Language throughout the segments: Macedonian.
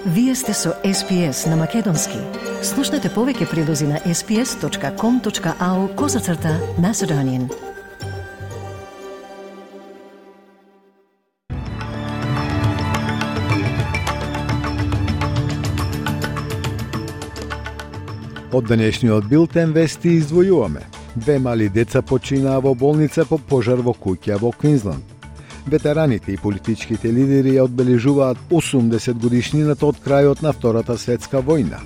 Вие сте со SPS на Македонски. Слушнете повеќе прилози на sps.com.au/Macedonian. Од денешниот билтен вести издвојуваме. 2 мали деца починаа во болница по пожар во куќа во Квинсланд. Ветераните и политичките лидери ја одбележуваат 80 годишнината од крајот на Втората светска војна.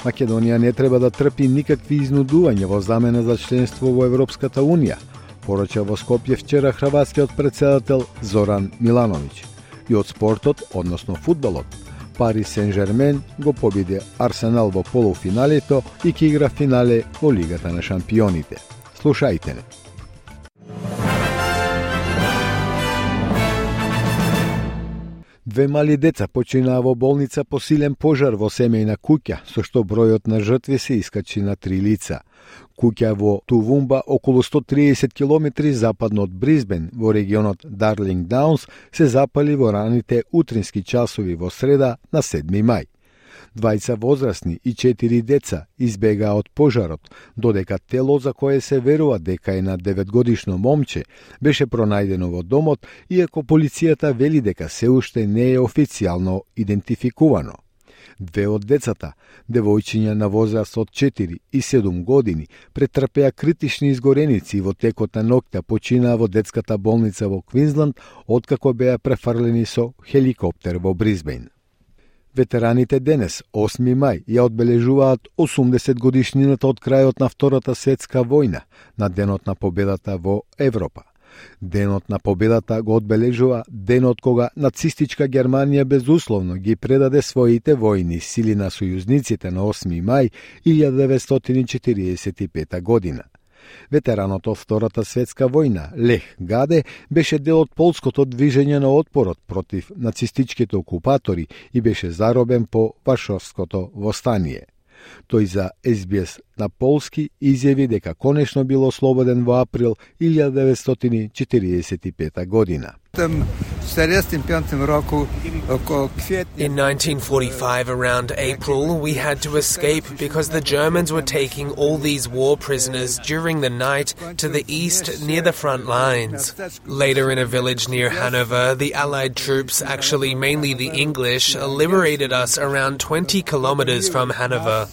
Македонија не треба да трпи никакви изнудувања во замена за членство во Европската унија, порача во Скопје вчера хрватскиот претседател Зоран Милановиќ. И од спортот, односно фудбалот, Парис Сен-Жермен го победи Арсенал во полуфиналето и ќе игра финале во Лигата на шампионите. Слушајте не. Две мали деца починаа во болница по силен пожар во семејна куќа, со што бројот на жртви се искачи на 3 лица. Куќа во Тувумба, околу 130 км западно од Брисбен, во регионот Дарлинг Даунс, се запали во раните утрински часови во среда на 7 мај. 2 возрастни и 4 деца избегаа од пожарот, додека тело за кое се верува дека е на 9-годишно момче беше пронајдено во домот, иако полицијата вели дека се уште не е официјално идентификувано. 2 од децата, девојчиња на возраст од 4 и 7 години, претрпеа критични изгореници и во текот на ноќта починаа во детската болница во Квинсланд, откако беа префрлени со хеликоптер во Брисбен. Ветераните денес, 8 мај, ја одбележуваат 80 годишнината од крајот на Втората светска војна, на денот на победата во Европа. Денот на победата го одбележува денот кога нацистичка Германија безусловно ги предаде своите војни сили на сојузниците на 8 мај 1945 година. Ветеранот од Втората светска војна, Лех Гаде, беше дел од полското движење на отпорот против нацистичките окупатори и беше заробен по Варшавското востание. Тој за SBS на полски изјави дека конечно бил ослободен во април 1945 година. In 1945, around April, we had to escape because the Germans were taking all these war prisoners during the night to the east near the front lines. Later, in a village near Hanover, the Allied troops, actually mainly the English, liberated us around 20 kilometers from Hanover.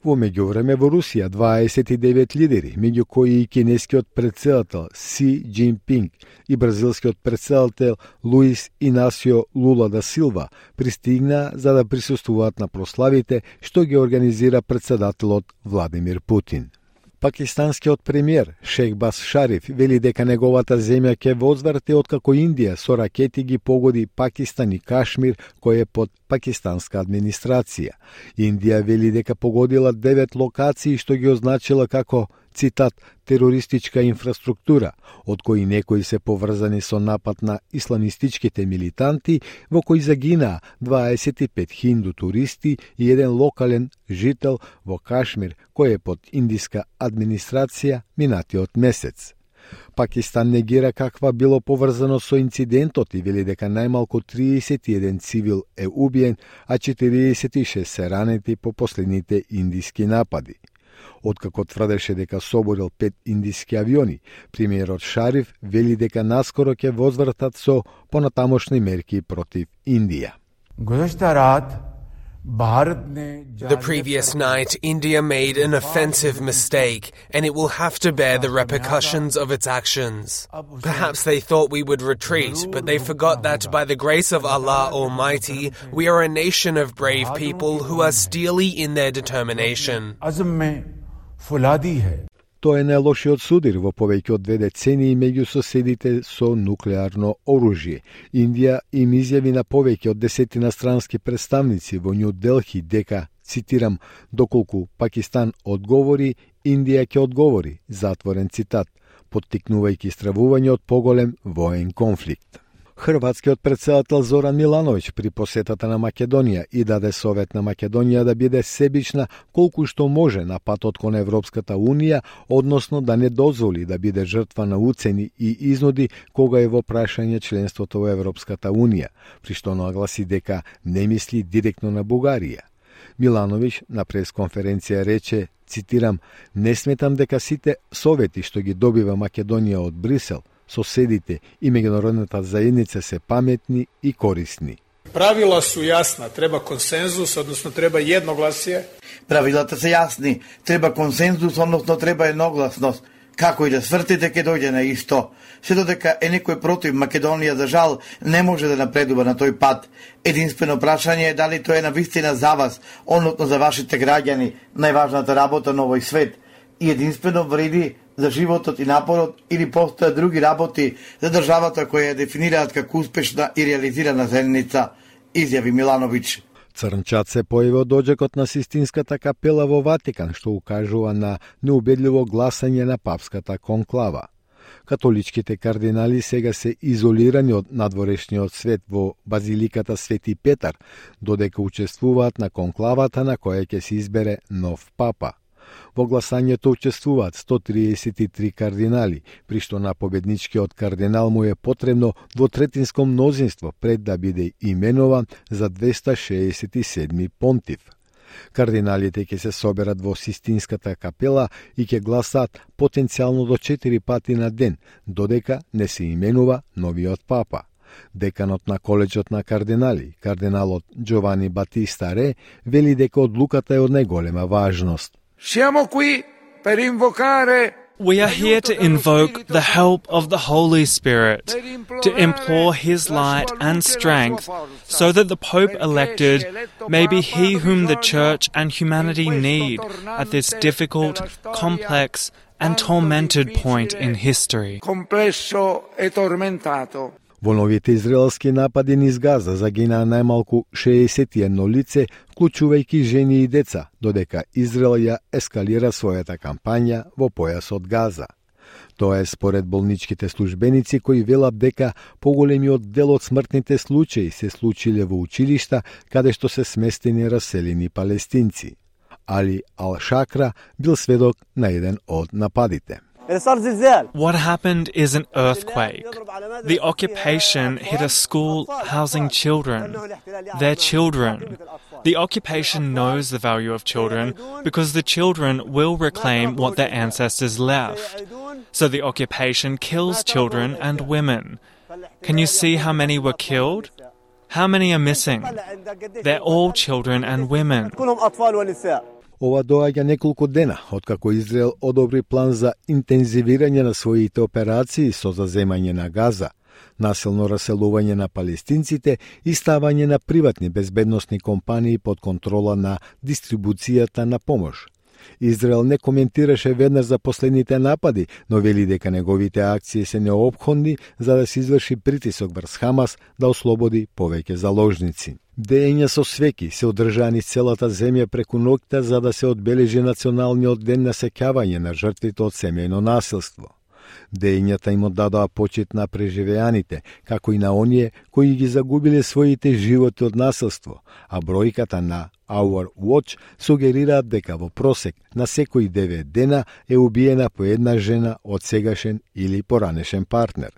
Во меѓувреме во Русија 29 лидери, меѓу кои и кинескиот претседател Си Џинпинг и бразилскиот претседател Луис Инасио Лула да Силва, пристигнаа за да присуствуваат на прославите што ги организира претседателот Владимир Путин. Пакистанскиот премиер Шехбаз Шариф вели дека неговата земја ќе возврати откако Индија со ракети ги погоди Пакистан и Кашмир, кој е под пакистанска администрација. Индија вели дека погодила 9 локации што ги означила како, цитат, терористичка инфраструктура, од кои некои се поврзани со напад на исламистичките милитанти, во кои загинаа 25 хинду туристи и еден локален жител во Кашмир, кој е под индиска администрација минатиот месец. Пакистан негира каква било поврзано со инцидентот и вели дека најмалку 31 цивил е убиен, а 46 се ранети по последните индиски напади. Откако тврдеше дека соборил 5 индиски авиони, премиерот Шариф вели дека наскоро ќе возвратат со понатамошни мерки против Индија. The previous night, India made an offensive mistake, and it will have to bear the repercussions of its actions. Perhaps they thought we would retreat, but they forgot that by the grace of Allah Almighty, we are a nation of brave people who are steely in their determination. Тоа е најлошиот судир во повеќе од 2 децении меѓу соседите со нуклеарно оружје. Индија им изјави на повеќе од 10 странски представници во Њу Делхи дека, цитирам, доколку Пакистан одговори, Индија ќе одговори, затворен цитат, поттикнувајќи стравување од поголем воен конфликт. Хрватскиот претседател Зоран Милановиќ при посетата на Македонија и даде совет на Македонија да биде себична колку што може на патот кон Европската Унија, односно да не дозволи да биде жртва на уцени и изнуди кога е во прашање членството во Европската Унија, при што нагласи дека не мисли директно на Бугарија. Милановиќ на пресконференција рече, цитирам, "Не сметам дека сите совети што ги добива Македонија од Брисел, соседите и меѓународната заедница се паметни и корисни." Правила су јасна, треба консензус, односно треба едногласие. Правилата се јасни, треба консензус, односно треба едногласност. Како и да свртите, ке дојде на исто. Се додека е некој против Македонија, за жал, не може да напредува на тој пат. Единствено прашање е дали тоа е навистина за вас, односно за вашите граѓани, најважната работа на овој свет. И единствено вреди за животот и напорот, или постојат други работи за државата која ја дефинираат како успешна и реализирана заедница, изјави Милановиќ. Црнчат се појави од доđекот на Систинската капела во Ватикан, што укажува на неубедливо гласање на папската конклава. Католичките кардинали сега се изолирани од надворешниот свет во Базиликата Свети Петар, додека учествуваат на конклавата на која ќе се избере нов папа. Во гласањето учествуваат 133 кардинали, при што на победничкиот кардинал му е потребно двотретинско мнозинство пред да биде именован за 267 понтив. Кардиналите ќе се соберат во Систинската капела и ќе гласаат потенцијално до 4 пати на ден, додека не се именува новиот папа. Деканот на коледжот на кардинали, кардиналот Джовани Батиста Ре, вели дека одлуката е од најголема важност. We are here to invoke the help of the Holy Spirit, to implore His light and strength, so that the Pope elected may be he whom the Church and humanity need at this difficult, complex, and tormented point in history. Во новите израелски напади низ Газа загинаа најмалку 61 лице, вклучувајќи жени и деца, додека Израел ја ескалира својата кампања во појасот Газа. Тоа е според болничките службеници кои велат дека поголемиот дел од смртните случаи се случиле во училишта каде што се сместени раселени палестинци. Али Ал-Шакра бил сведок на еден од нападите. What happened is an earthquake. The occupation hit a school housing children. Their children. The occupation knows the value of children because the children will reclaim what their ancestors left. So the occupation kills children and women. Can you see how many were killed? How many are missing? They're all children and women. Ова доаѓа неколку дена, откако Израел одобри план за интензивирање на своите операции со заземање на Газа, насилно раселување на палестинците и ставање на приватни безбедносни компании под контрола на дистрибуцијата на помош. Израел не коментираше веднаш за последните напади, но вели дека неговите акции се неопходни за да се изврши притисок врз Хамас да ослободи повеќе заложници. Деења со свеки се одржани целата земја преку ноќта за да се одбележи националниот ден на сеќавање на жртвите од семејно насилство. Деењата им оддадоа почит на преживеаните, како и на оние кои ги загубиле своите животи од насилство, а бројката на Our Watch сугерираат дека во просек на секои 9 дена е убиена по една жена од сегашен или поранешен партнер.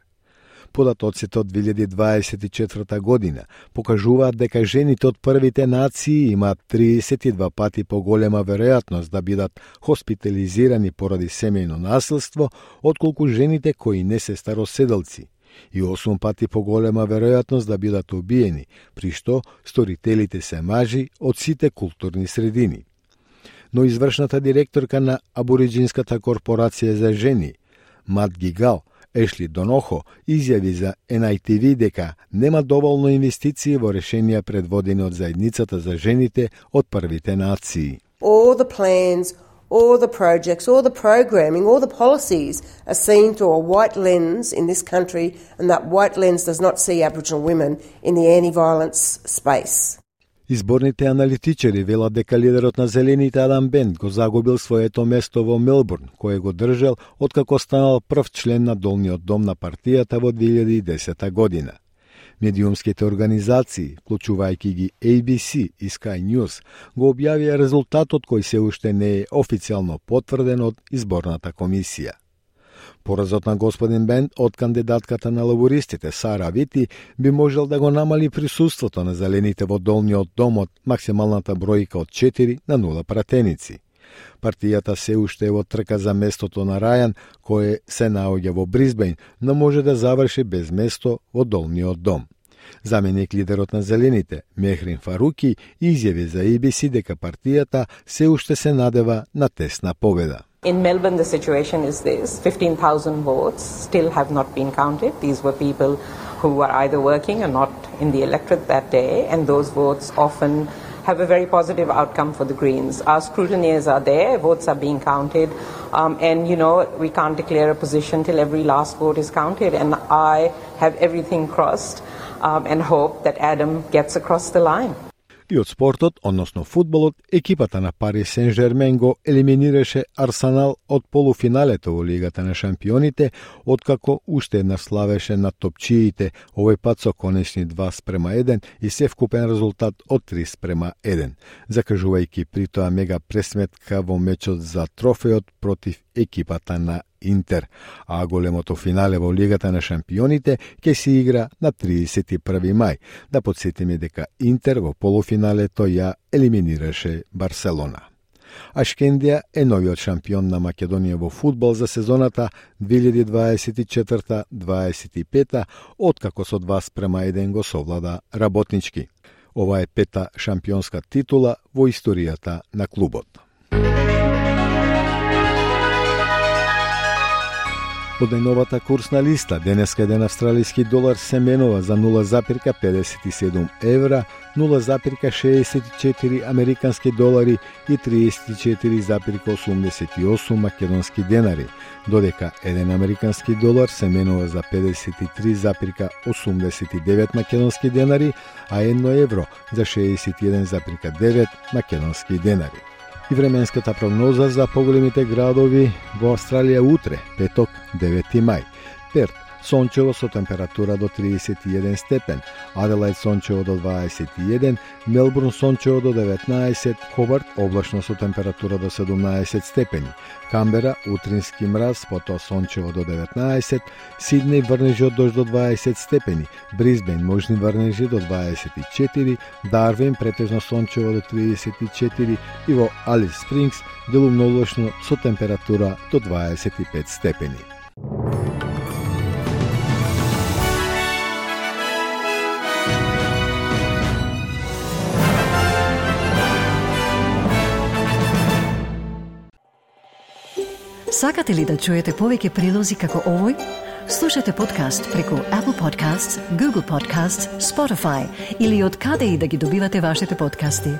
Податоците од 2024 година покажуваат дека жените од првите нации имаат 32 пати поголема веројатност да бидат хоспитализирани поради семејно насилство, отколку жените кои не се староседалци, и 8 пати поголема веројатност да бидат убиени, при што сторителите се мажи од сите културни средини. Но извршната директорка на Абориџинската корпорација за жени, Мат Гигал, Ешли Донохо, изјави за NITV дека нема доволно инвестиции во решенија предводени од заедницата за жените од првите нации. All the plans, all the projects, all the programming, all the policies are seen through a white lens in this country, and that white lens does not see Aboriginal women in the anti-violence space. Изборните аналитичари велат дека лидерот на Зелените Адам Бент го загубил своето место во Мелбурн, кое го држал откако станал прв член на долниот дом на партијата во 2010 година. Медиумските организации, вклучувајќи ги ABC и Sky News, го објавија резултатот кој се уште не е официјално потврден од изборната комисија. Поразот на господин Бенд од кандидатката на лабористите Сара Вити би можел да го намали присуството на зелените во долниот дом од максималната бројка од 4 на 0 пратеници. Партијата се уште е во трка за местото на Рајан, кое се наоѓа во Брисбејн, но може да заврши без место во долниот дом. Заменик лидерот на зелените, Мехрин Фаруки, изјави за ABC дека партијата се уште се надева на тесна победа. In Melbourne, the situation is this. 15,000 votes still have not been counted. These were people who were either working or not in the electorate that day, and those votes often have a very positive outcome for the Greens. Our scrutineers are there, votes are being counted, and, we can't declare a position till every last vote is counted, and I have everything crossed and hope that Adam gets across the line. И од спортот, односно фудбалот, екипата на Парис Сен-Жермен го елиминираше Арсенал од полуфиналето во Лигата на шампионите, откако уште една славеше над топчиите, овој пат со конечни 2:1 и севкупен резултат од 3:1, закажувајќи при тоа мега пресметка во мечот за трофеот против екипата на Интер, а големото финале во Лигата на шампионите ќе се игра на 31 мај. Да подсетиме дека Интер во полуфиналето ја елиминираше Барселона. Ашкендија е новиот шампион на Македонија во фудбал за сезоната 2024-25, откако со 2:1 го совлада работнички. Ова е пета шампионска титула во историјата на клубот. Од најновата курсна листа, денеска еден австралиски долар се менува за 0,57 евра, 0,64 американски долари и 34,88 македонски денари, додека еден американски долар се менува за 53,89 македонски денари, а 1 евро за 61,9 македонски денари. И временската прогноза за поголемите градови во Австралија утре, петок, 9 мај. Перт, сончево со температура до 31 степен, Аделајд сончево до 21, Мелбурн сончево до 19, Хобарт облачно со температура до 17 степени, Камбера утрински мраз, потоа сончево до 19, Сиднеј врнежи од дожд до 20 степени, Брисбејн можни врнежи до 24, Дарвин претежно сончево до 34 и во Алис Спрингс делумно облачно со температура до 25 степени. Сакате ли да чуете повеќе прилози како овој? Слушате подкаст преку Apple Podcasts, Google Podcasts, Spotify или од каде и да ги добивате вашите подкасти.